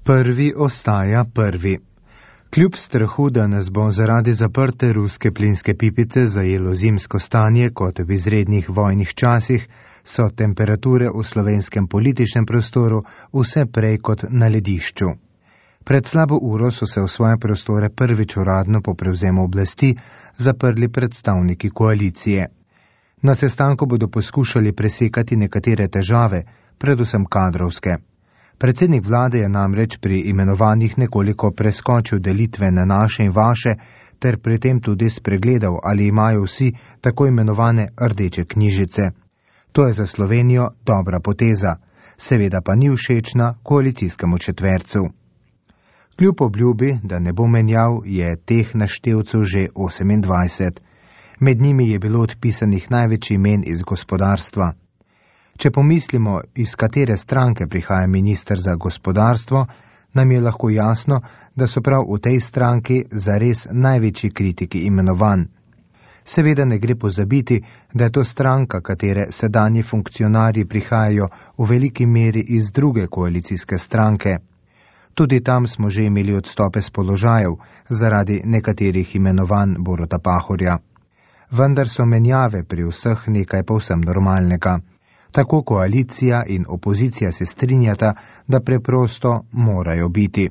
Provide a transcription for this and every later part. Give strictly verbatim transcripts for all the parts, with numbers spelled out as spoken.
Prvi ostaja prvi. Kljub strahu, da nas bo zaradi zaprte ruske plinske pipice zajelo zimsko stanje kot v izrednih vojnih časih, so temperature v slovenskem političnem prostoru vse prej kot na ledišču. Pred slabo uro so se v svoje prostore prvič uradno po prevzemu oblasti zaprli predstavniki koalicije. Na sestanku bodo poskušali presekati nekatere težave, predvsem kadrovske. Predsednik vlade je namreč pri imenovanjih nekoliko preskočil delitve na naše in vaše, ter pri tem tudi spregledal, ali imajo vsi tako imenovane rdeče knjižice. To je za Slovenijo dobra poteza, seveda pa ni všečna koalicijskemu četvercu. Kljub obljubi, da ne bo menjav, je teh naštevcev že osemindvajset. Med njimi je bilo odpisanih največ imen iz gospodarstva. Če pomislimo, iz katere stranke prihaja minister za gospodarstvo, nam je lahko jasno, da so prav v tej stranki zares največji kritiki imenovan. Seveda ne gre pozabiti, da je to stranka, katere sedanji funkcionarji prihajajo v veliki meri iz druge koalicijske stranke. Tudi tam smo že imeli odstope z položajev zaradi nekaterih imenovanj Boruta Pahorja. Vendar so menjave pri vseh nekaj povsem normalnega. Tako koalicija in opozicija se strinjata, da preprosto morajo biti.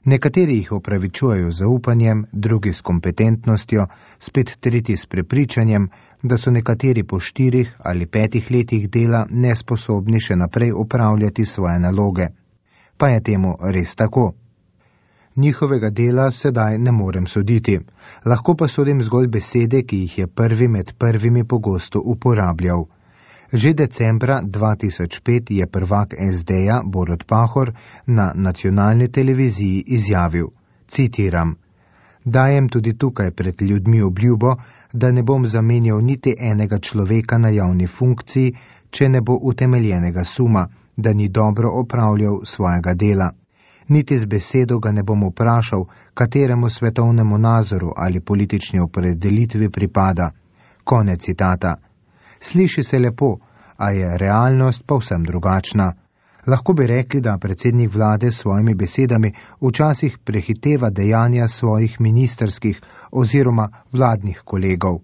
Nekateri jih opravičujejo z zaupanjem, drugi s kompetentnostjo, spet tretji s prepričanjem, da so nekateri po štirih ali petih letih dela nesposobni še naprej upravljati svoje naloge. Pa je temu res tako. Njihovega dela sedaj ne morem soditi, lahko pa sodim zgolj besede, ki jih je prvi med prvimi pogosto uporabljal. Že decembra dva tisoč pet je prvak es de-ja Borut Pahor na nacionalni televiziji izjavil, citiram, dajem tudi tukaj pred ljudmi obljubo, da ne bom zamenjal niti enega človeka na javni funkciji, če ne bo utemeljenega suma, da ni dobro opravljal svojega dela. Niti z besedo ga ne bom vprašal, kateremu svetovnemu nazoru ali politični opredelitvi pripada. Konec citata. Sliši se lepo, a je realnost povsem drugačna. Lahko bi rekli, da predsednik vlade s svojimi besedami včasih prehiteva dejanja svojih ministerskih oziroma vladnih kolegov.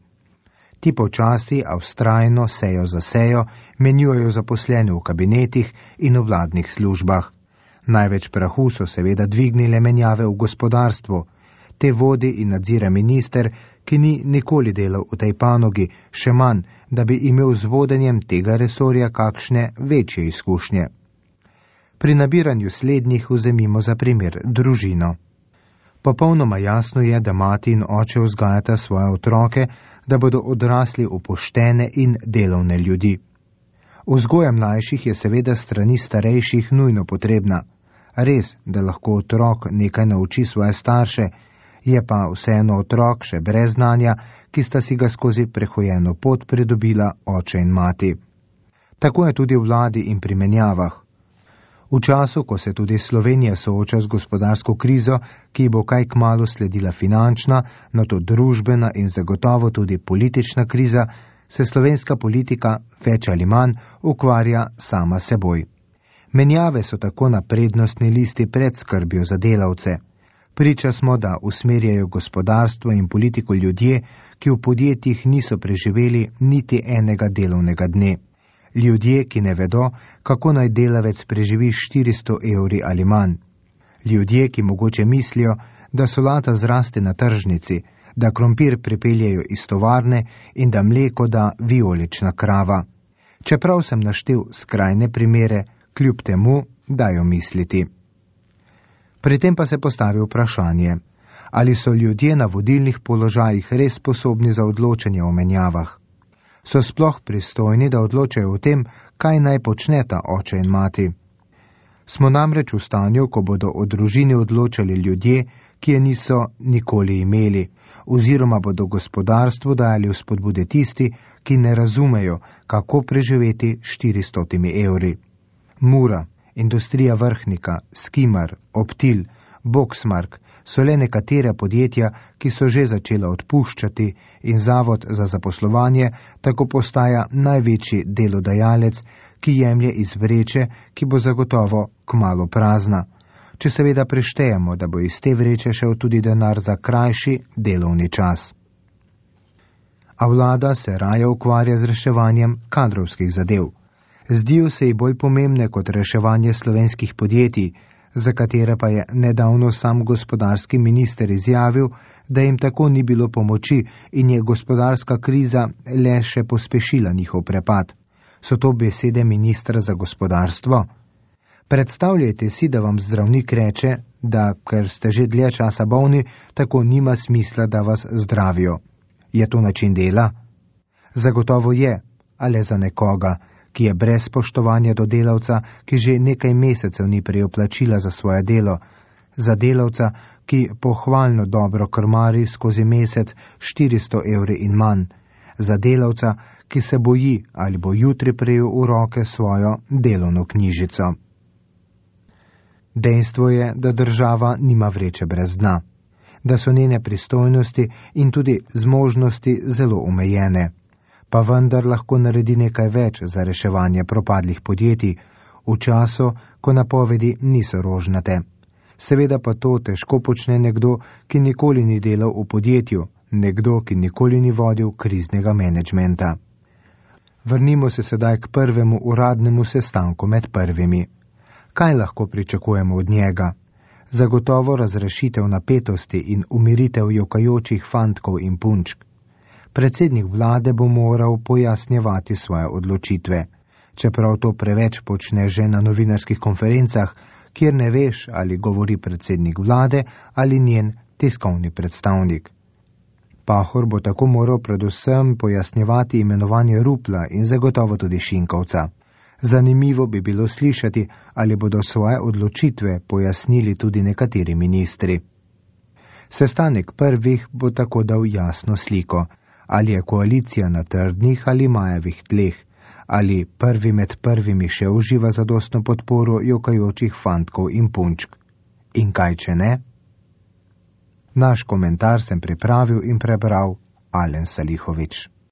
Ti počasi, a vztrajno, sejo za sejo, menjujejo zaposlene v kabinetih in v vladnih službah. Največ prahu so seveda dvignile menjave v gospodarstvu. Te vodi in nadzira minister, ki ni nikoli delal v tej panogi, še manj, da bi imel z vodenjem tega resorja kakšne večje izkušnje. Pri nabiranju slednjih vzemimo za primer družino. Popolnoma jasno je, da mati in oče vzgajata svoje otroke, da bodo odrasli v poštene in delovne ljudi. Vzgoja mlajših je seveda strani starejših nujno potrebna. Res, da lahko otrok nekaj nauči svoje starše, je pa vseeno otrok še brez znanja, ki sta si ga skozi prehojeno pot pridobila oče in mati. Tako je tudi v vladi in pri menjavah. V času, ko se tudi Slovenija sooča z gospodarsko krizo, ki bo kaj kmalu sledila finančna, nato družbena in zagotovo tudi politična kriza, se slovenska politika več ali manj ukvarja sama seboj. Menjave so tako na prednostni listi pred skrbjo za delavce. Priča smo, da usmerjajo gospodarstvo in politiko ljudje, ki v podjetjih niso preživeli niti enega delovnega dne. Ljudje, ki ne vedo, kako naj delavec preživi štiristo evri ali manj. Ljudje, ki mogoče mislijo, da solata zraste na tržnici, da krompir pripeljejo iz tovarne in da mleko da vijolična krava. Čeprav sem naštel skrajne primere, kljub temu dajo misliti. Pri tem pa se postavi vprašanje, ali so ljudje na vodilnih položajih res sposobni za odločanje o menjavah. So sploh pristojni, da odločajo o tem, kaj naj počneta oče in mati. Smo namreč v stanju, ko bodo o družini odločali ljudje, ki je niso nikoli imeli, oziroma bodo gospodarstvu dajali vzpodbude tisti, ki ne razumejo, kako preživeti štiristotimi evri. Mura, industrija Vrhnika, Skimar, Optil, Boxmark so le nekatera podjetja, ki so že začela odpuščati in Zavod za zaposlovanje tako postaja največji delodajalec, ki jemlje iz vreče, ki bo zagotovo kmalu prazna. če seveda preštejemo, da bo iz te vreče šel tudi denar za krajši delovni čas. A vlada se raje ukvarja z reševanjem kadrovskih zadev. Zdijo se ji bolj pomembne kot reševanje slovenskih podjetij, za katere pa je nedavno sam gospodarski minister izjavil, da jim tako ni bilo pomoči in je gospodarska kriza le še pospešila njihov prepad. So to besede ministra za gospodarstvo? Predstavljajte si, da vam zdravnik reče, da ker ste že dlje časa bolni, tako nima smisla, da vas zdravijo. Je to način dela? Zagotovo je, ali za nekoga, ki je brez spoštovanja do delavca, ki že nekaj mesecev ni prejel plačila za svoje delo, za delavca, ki pohvalno dobro krmari skozi mesec štiristo evri in manj, za delavca, ki se boji, ali bo jutri prejel v roke svojo delovno knjižico. Dejstvo je, da država nima vreče brez dna, da so njene pristojnosti in tudi zmožnosti zelo omejene, pa vendar lahko naredi nekaj več za reševanje propadlih podjetij v času, ko napovedi niso rožnate. Seveda pa to težko počne nekdo, ki nikoli ni delal v podjetju, nekdo, ki nikoli ni vodil kriznega menedžmenta. Vrnimo se sedaj k prvemu uradnemu sestanku med prvimi. Kaj lahko pričakujemo od njega? Zagotovo razrešitev napetosti in umiritev jokajočih fantkov in punčk. Predsednik vlade bo moral pojasnjevati svoje odločitve, čeprav to preveč počne že na novinarskih konferencah, kjer ne veš, ali govori predsednik vlade ali njen tiskovni predstavnik. Pahor bo tako moral predvsem pojasnjevati imenovanje Rupla in zagotovo tudi Šinkovca. Zanimivo bi bilo slišati, ali bodo svoje odločitve pojasnili tudi nekateri ministri. Sestanek prvih bo tako dal jasno sliko, ali je koalicija na trdnih ali majavih tleh, ali prvi med prvimi še uživa zadostno podporo jokajočih fantkov in punčk. In kaj če ne? Naš komentar sem pripravil in prebral Alen Salihovič.